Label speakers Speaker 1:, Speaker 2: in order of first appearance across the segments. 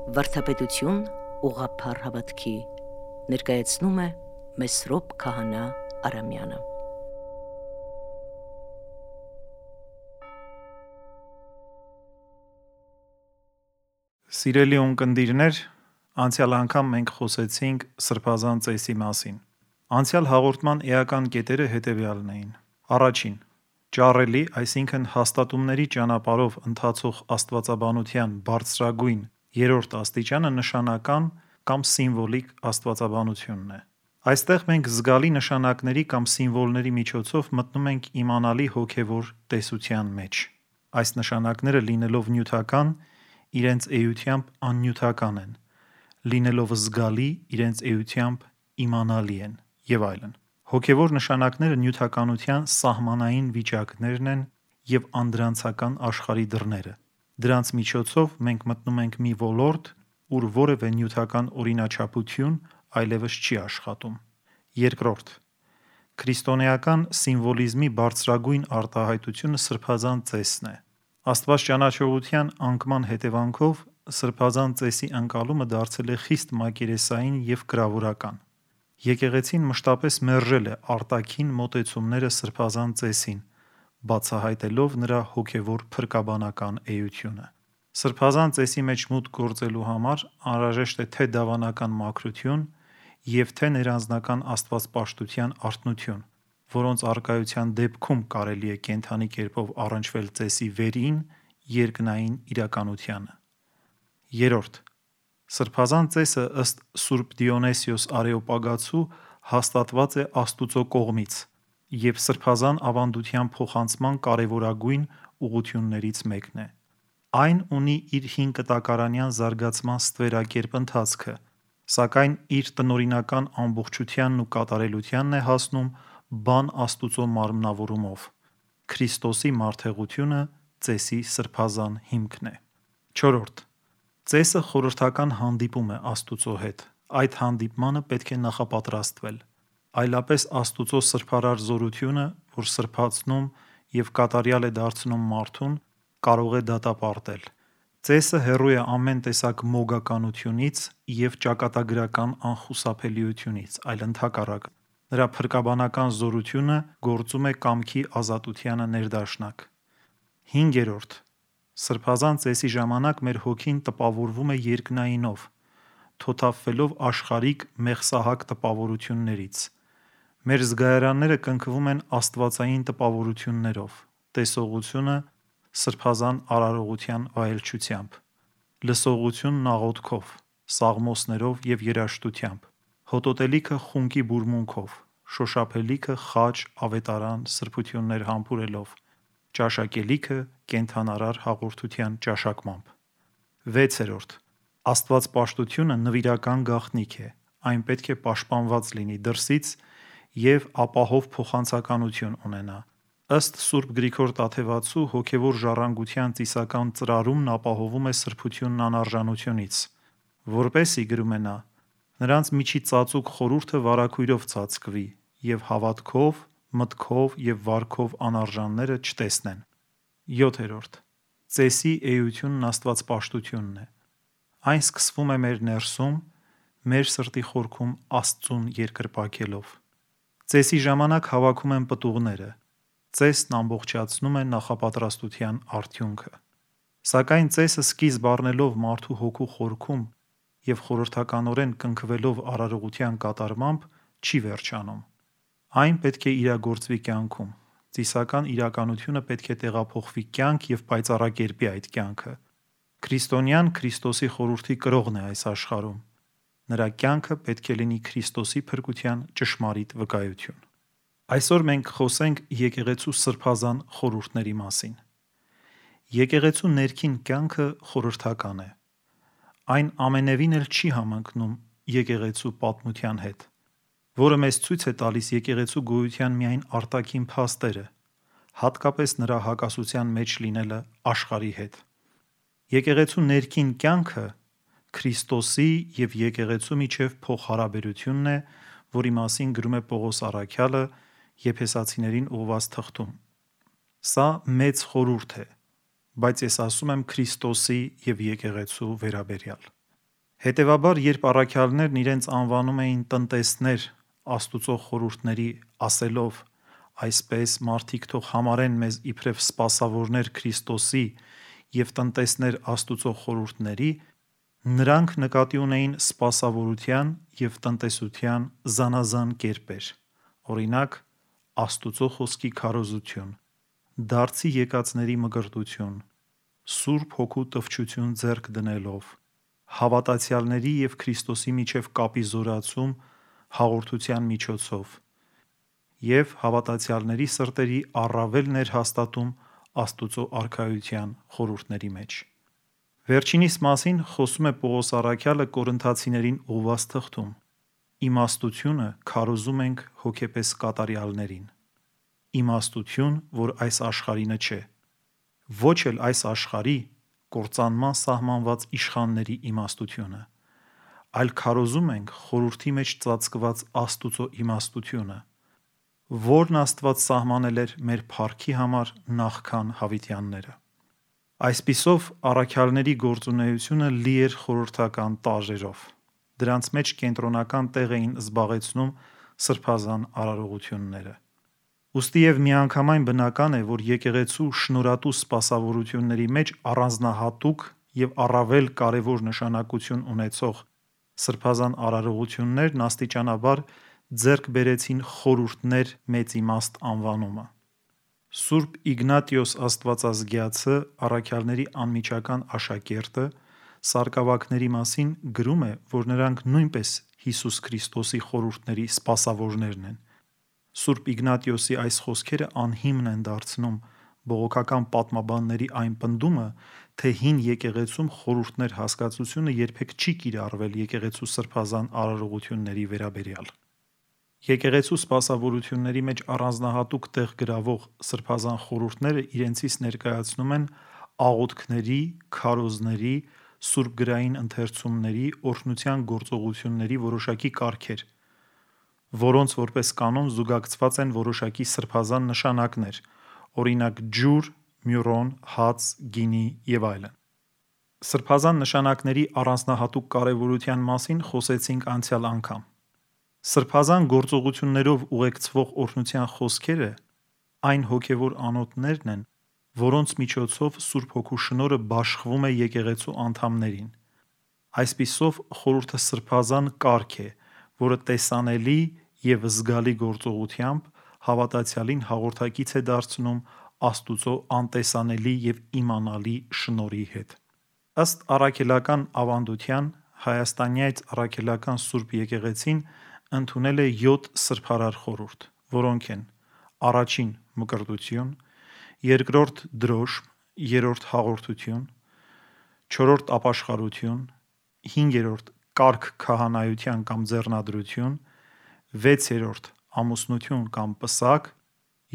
Speaker 1: Վարդապետություն ուղղափառ հավատքի ներկայացնում է Մեսրոպ Քահանա Արամյանը։
Speaker 2: Սիրելի ունկնդիրներ, անցյալ անգամ մենք խոսեցինք սրբազան ծեսի մասին։ Անցյալ հաղորդման էական կետերը հետևյալն էին. Առաջին, ճառելի, այսինքն հաստատումների ճանապարհով ընթացող աստվածաբանության բարձրագույն երրորդ աստիճանը նշանական կամ սիմվոլիկ աստվածաբանությունն է։ Այստեղ մենք զգալի նշանակների կամ սիմվոլների միջոցով մտնում ենք իմանալի հոգևոր տեսության մեջ։ Այս նշանակները լինելով նյութական, իրենց էությամբ աննյութական են, լինելով զգալի, իրենց էությամբ իմանալի են եւ այլն։ Հոգևոր նշանակները նյութականության սահմանային վիճակներն են եւ անդրանցական աշխարհի դռները։ Դրանց միջոցով մենք մտնում ենք մի ոլորտ, ուր որևէ նյութական օրինաչափություն այլևս չի աշխատում։ Երկրորդ, քրիստոնեական սիմվոլիզմի բարձրագույն արտահայտությունը սրբազան ծեսն է։ Աստվածճանաչողության անկման հետևանքով սրբազան ծեսի ընկալումը դարձել է խիստ մակերեսային եւ կրավորական։ Եկեղեցին մշտապես մերժել է արտաքին մոտեցումները սրբազան ծեսին, բացահայտելով նրա հոգևոր փրկաբանական էությունը։ Սրբազան ծեսի մեջ մուտք գործելու համար անհրաժեշտ է թե դավանական մաքրություն եւ թե ներանձնական աստվածպաշտության արթնություն, որոնց առկայության դեպքում կարելի է կենդանի կերպով առնչվել ծեսի վերին երկնային իրականությանը։ Երրորդ, սրբազան ծեսը ըստ Սուրբ Դիոնեսիոս Արեոպագացու հաստատված է Աստուծո կողմից եւ սրբազան ավանդության փոխանցման կարևորագույն ուղղություններից մեկն է։ Այն ունի իր հինկտակարանյան զարգացման ստվերակերպ ընթացքը, սակայն իր տնօրինական ամբողջությանն ու կատարելությանն է հասնում բան Աստուծո մարմնավորումով։ Քրիստոսի մարդեղությունը ծեսի սրբազան հիմքն է։ Չորրորդ, ծեսը խորհրդական հանդիպում է Աստուծո հետ։ Այդ հանդիպմանը պետք է նախապատրաստվել։ Այլապես Աստուծո սրբարար զորությունը, որ սրբացնում եւ կատարյալ է դարձնում մարդուն, կարող է դատապարտել։ Ծեսը հեռու է ամեն տեսակ մոգականությունից եւ ճակատագրական անխուսափելիությունից, այլ ընդհակառակը։ Նրա փրկաբանական զորությունը գործում է կամքի ազատությանը ներդաշնակ։ Հինգերորդ, սրբազան ծեսի ժամանակ մեր հոգին տպավորվում է երկնայինով, թոթափվելով աշխարհիկ մեղսահակ տպավորություններից։ Մեր զգայարանները կնքվում են աստվածային տպավորություններով, տեսողությունը սրբազան արարողության վայելչությամբ, լսողությունն աղոթքով, սաղմոսներով եւ երաժշտությամբ, հոտոտելիքը խունկի բուրմունքով, շոշափելիքը խաչ, ավետարան, սրբություններ համբուրելով, ճաշակելիքը կենդանարար հաղորդության ճաշակմամբ։ 6. Աստվածպաշտությունը նվիրական գաղտնիք է, այն պետք է պաշտպանված լինի դրսից եւ ապահով փոխանցականություն ունենա։ Ըստ Սուրբ Գրիգոր Տաթևացու հոգևոր ժառանգության ծիսական ծրարումն ապահովում է սրբությունն անարժանությունից, որպեսզի, գրում է նա, նրանց միջի ծածուկ խորհուրդը վարագույրով ծածկվի եւ հավատքով, մտքով եւ վարքով անարժանները չտեսնեն։ 7. Ծեսի էությունն աստվածպաշտությունն է։ Այն սկսվում է մեր ներսում, մեր սրտի խորքում Աստծուն երկրպագելով։ Ծեսի ժամանակ հավաքում են պտուղները։ Ծեսն ամբողջացնում է նախապատրաստության արդյունքը։ Սակայն ծեսը սկիզբ առնելով մարդու հոգու խորքում եւ խորհրդականորեն կնքվելով արարողության կատարմամբ չի վերջանում։ Այն պետք է իրագործվի կյանքում։ Ծիսական իրականությունը պետք է տեղափոխվի կյանք եւ պայծառակերպի այդ կյանքը։ Քրիստոնյան Քրիստոսի խորհրդի կրողն է այս աշխարհում։ Նրա կյանքը պետք է լինի Քրիստոսի փրկության ճշմարիտ վկայություն։ Այսօր մենք խոսենք եկեղեցու սրբազան խորհուրդների մասին։ Եկեղեցու ներքին կյանքը խորհրդական է։ Այն ամենևին էլ չի համընկնում եկեղեցու պատմության հետ, որը մեզ ցույց է տալիս եկեղեցու գոյության միայն արտաքին փաստերը, հատկապես նրա հակասության մեջ լինելը աշխարհի հետ։ Եկեղեցու ներքին կյանքը Քրիստոսի եւ եկեղեցու միջև փոխհարաբերությունն է, որի մասին գրում է Պողոս առաքյալը Եփեսացիներին ուղղված թղթում։ Սա մեծ խորհուրդ է, բայց ես ասում եմ Քրիստոսի եւ եկեղեցու վերաբերյալ։ Հետևաբար, երբ առաքյալներն իրենց անվանում էին տնտեսներ Աստուծո խորհուրդների, ասելով. այսպես մարդիկ թող համարեն մեզ իբրև սպասավորներ Քրիստոսի և տնտեսներ Աստուծո խորհուրդների, նրանք նկատի ունեին սպասավորության և տնտեսության զանազան կերպեր, օրինակ Աստուծո խոսքի քարոզություն, դարձի եկածների մկրտություն, Սուրբ Հոգու տվչություն ձեռք դնելով, հավատացյալների և Քրիստոսի միջև կապի զորացում հաղորդության միջոցով և հավատացյալների սրտերի առավել ներհաստատում Աստուծո արքայության խորհուրդների մեջ։ Վերջինիս մասին խոսում է Պողոս առաքյալը Կորինթացիներին ուղղված թղթում. իմաստությունը քարոզում ենք հոգեպես կատարյալներին, իմաստություն, որ այս աշխարհինը չէ, ոչ էլ այս աշխարհի կործանման սահմանված իշխանների իմաստությունը, այլ քարոզում ենք խորհրդի մեջ ծածկված Աստուծո իմաստությունը, որն Աստված սահմանել էր մեր փառքի համար նախքան հավիտյանները։ Այսպիսով, առաքյալների գործունեությունը լի էր խորհրդական տարրերով։ Դրանց մեջ կենտրոնական տեղ էին զբաղեցնում սրբազան արարողությունները։ Ուստի և միանգամայն բնական է, որ եկեղեցու շնորհատու սպասավորությունների մեջ առանձնահատուկ և առավել կարևոր նշանակություն ունեցող սրբազան արարողություններն աստիճանաբար ձեռք բերեցին խորհուրդներ մեծ իմաստ անվանումը։ Սուրբ Իգնատիոս Աստվածազգյացը, առաքյալների անմիջական աշակերտը, սարկավագների մասին գրում է, որ նրանք նույնպես Հիսուս Քրիստոսի խորհուրդների սպասավորներն են։ Սուրբ Իգնատիոսի այս խոսքերը անհիմն են դարձնում բողոքական պատմաբանների այն պնդումը, թե հին եկեղեցում խորհուրդներ հասկացությունը երբեք չի կիրառվել եկեղեցու սրբազան արարողությունների վերաբերյալ։ Եկեղեցու սպասավորությունների մեջ առանձնահատուկ տեղ գրավող սրբազան խորհուրդները իրենցից ներկայացնում են աղոթքների, քարոզների, սուրբգրային ընթերցումների, օրհնության գործողությունների որոշակի կարգեր, որոնց որպես կանոն զուգակցված են որոշակի սրբազան նշանակներ, օրինակ ջուր, մյուրոն, հաց, գինի և այլն։ Սրբազան նշանակների առանձնահատուկ կարևորության մասին խոսեցինք անցյալ անգամ։ Սրբազան գործողություններով ուղեկցվող օրհնության խոսքերը այն հոգևոր անոթներն են, որոնց միջոցով Սուրբ Հոգու շնորհը բաշխվում է եկեղեցու անդամներին։ Այսպիսով, խորհուրդը սրբազան կարգ է, որը տեսանելի և զգալի գործողությամբ հավատացյալին հաղորդակից է դարձնում Աստուծո անտեսանելի և իմանալի շնորհի հետ։ Ըստ առաքելական ավանդության, Հայաստանյաց առաքելական Սուրբ Եկեղեցին ընդունել է 7 սրբարար խորհուրդ, որոնք են. առաջին մկրտություն, երկրորդ դրոշմ, երրորդ հաղորդություն, չորրորդ ապաշխարություն, հինգերորդ կարգ քահանայության կամ ձեռնադրություն, վեցերորդ ամուսնություն կամ պսակ,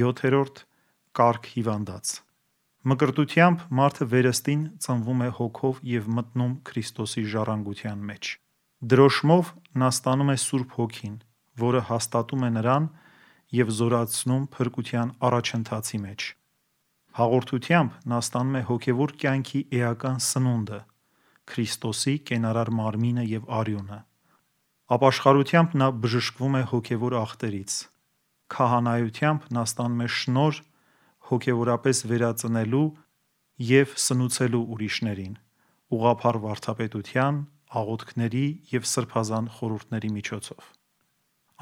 Speaker 2: յոթերորդ կարգ հիվանդանց։ Մկրտությամբ մարդը վերստին ծնվում է հոգով և մտնում Քրիստոսի ժառանգության մեջ։ Դրոշմով նա ստանում է Սուրբ Հոգին, որը հաստատում է նրան և զորացնում փրկության առաջընթացի մեջ։ Հաղորդությամբ նա ստանում է հոգևոր կյանքի էական սնունդը, Քրիստոսի կենարար մարմինը և արյունը։ Ապաշխարությամբ նա բժշկվում է հոգևոր ախտերից։ Քահանայությամբ նա ստանում է շնորհ հոգևորապես վերածնելու և սնուցելու ուրիշներին՝ ուղղափառ վարդապետության, աղոթքների և սրբազան խորհուրդների միջոցով։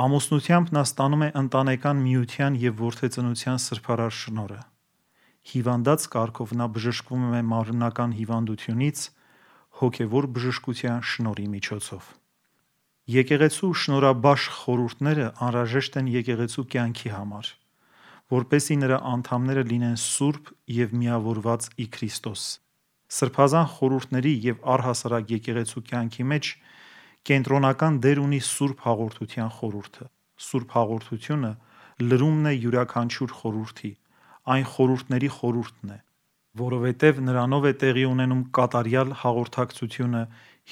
Speaker 2: Ամուսնությամբ նա ստանում է ընտանեկան միության և որդեծնության սրբարար շնորհը։ Հիվանդանց կարգով նա բժշկվում է մարմնական հիվանդությունից հոգևոր բժշկության շնորհի միջոցով։ Եկեղեցու շնորհաբաշխ խորհուրդները անհրաժեշտ են եկեղեցու կյանքի համար, որպեսզի նրա անդամները լինեն սուրբ և միավորված ի Քրիստոս։ Սրբազան խորհուրդների և առհասարակ եկեղեցու կյանքի մեջ կենտրոնական դեր ունի Սուրբ Հաղորդության խորհուրդը։ Սուրբ Հաղորդությունը լրումն է յուրաքանչյուր խորհրդի, այն խորհուրդների խորհուրդն է, որովհետև նրանով է տեղի ունենում կատարյալ հաղորդակցությունը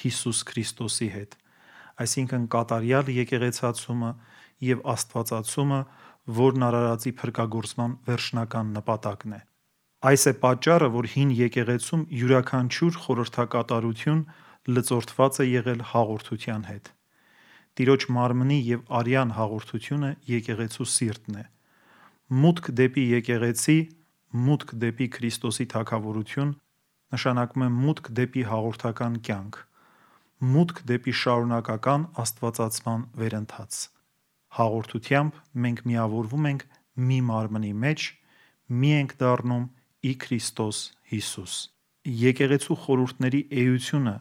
Speaker 2: Հիսուս Քրիստոսի հետ, այսինքն կատարյալ եկեղեցացումը և աստվածացումը, որն արարածի փրկագործման վերջնական նպատակն է։ Այս է պատճառը, որ հին եկեղեցում յուրաքանչյուր խորհրդակատարություն լծորտված է եղել հաղորդության հետ։ Տիրոջ մարմնի և արյան հաղորդությունը եկեղեցու սիրտն է։ Մուտք դեպի եկեղեցի, մուտք դեպի Քրիստոսի թագավորություն նշանակում է մուտք դեպի հաղորդական կյանք, մուտք դեպի շարունակական աստվածացման վերընթաց։ Հաղորդությամբ մենք միավորվում ենք մի մարմնի մեջ, մի ենք դառնում ի Քրիստոս Հիսուս։ Եկեղեցու խորհուրդների էությունը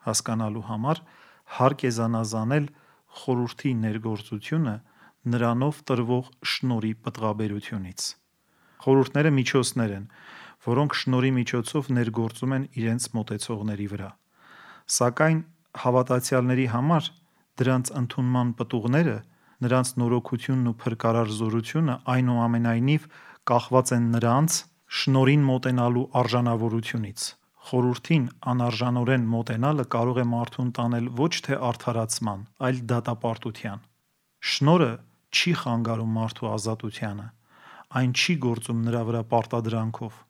Speaker 2: հասկանալու համար հարկ է զանազանել խորհրդի ներգործությունը նրանով տրվող շնորհի պտղաբերությունից։ Խորհուրդները միջոցներ են, որոնք շնորհի միջոցով ներգործում են իրենց մոտեցողների վրա։ Սակայն հավատացյալների համար դրանց ընդունման պտուղները, նրանց նորոգությունն ու փրկարար զորությունը այնուամենայնիվ կախված են նրանց շնորհին մոտենալու արժանավորությունից։ Խորհրդին անարժանորեն մոտենալը կարող է մարդուն տանել ոչ թե արդարացման, այլ դատապարտության։ Շնորհը չի խանգարում մարդու ազատությանը, այն չի գործում նրա վրա պարտադրանքով։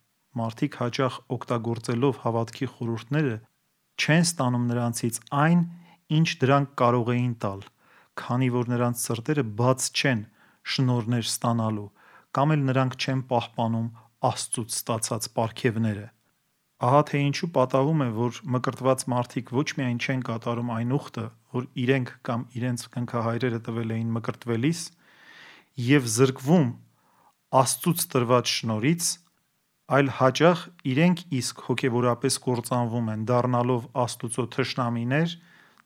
Speaker 2: Մարդիկ հաճախ օգտագործելով հավատքի խորհուրդները չեն ստանում նրանցից այն, ինչ դրանք կարող էին տալ, քանի որ նրանց սրտերը բաց չեն շնորհներ ստանալու, կամ էլ նրանք չեն պահպանում Աստծուց ստացած պարգևները։ Ահա թե ինչու պատահում է, որ մկրտված մարդիկ ոչ միայն չեն կատարում այն ուխտը, որ իրենք կամ իրենց կնքահայրերը տվել էին մկրտվելիս, և զրկվում Աստծուց տրված շնորհից, այլ հաճախ իրենք իսկ հոգևորապես կործանվում են, դառնալով Աստուծո թշնամիներ,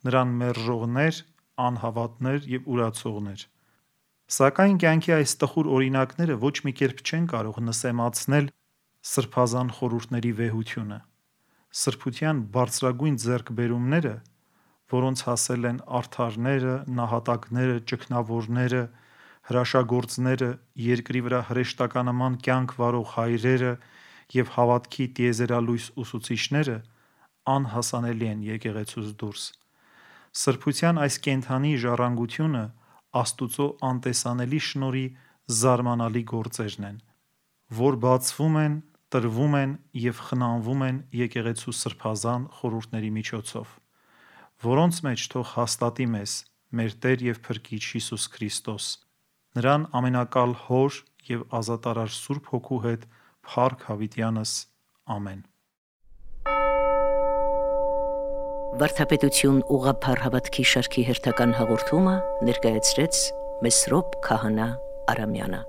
Speaker 2: նրան մերժողներ, անհավատներ և ուրացողներ։ Սակայն կյանքի այս տխուր օրինակները ոչ մի կերպ չեն կարող նսեմացնել սրբազան խորհուրդների վեհությունը։ Սրբության բարձրագույն ձեռքբերումները, որոնց հասել են արդարները, նահատակները, ճգնավորները, հրաշագործները, երկրի վրա հրեշտականաման կյանք վարող հայրերը և հավատքի տիեզերալույս ուսուցիչները, անհասանելի են եկեղեցուց դուրս։ Սրբության այս կենդանի ժառանգությունը Աստուծո անտեսանելի շնորհի զարմանալի գործերն են, որ բացվում են, տրվում են և խնամվում են եկեղեցու սրբազան խորհուրդների միջոցով, որոնց մեջ թող հաստատի մեզ մեր Տեր և Փրկիչ Հիսուս Քրիստոս, նրան ամենակալ Հոր և ազատարար Սուրբ Հոգու հետ փառք հավիտյանս։ Ամեն։
Speaker 1: Վարդապետություն ուղղափառ հավատքի շարքի հերթական հաղորդումը ներկայացրեց Մեսրոպ Քահանա Արամյանը։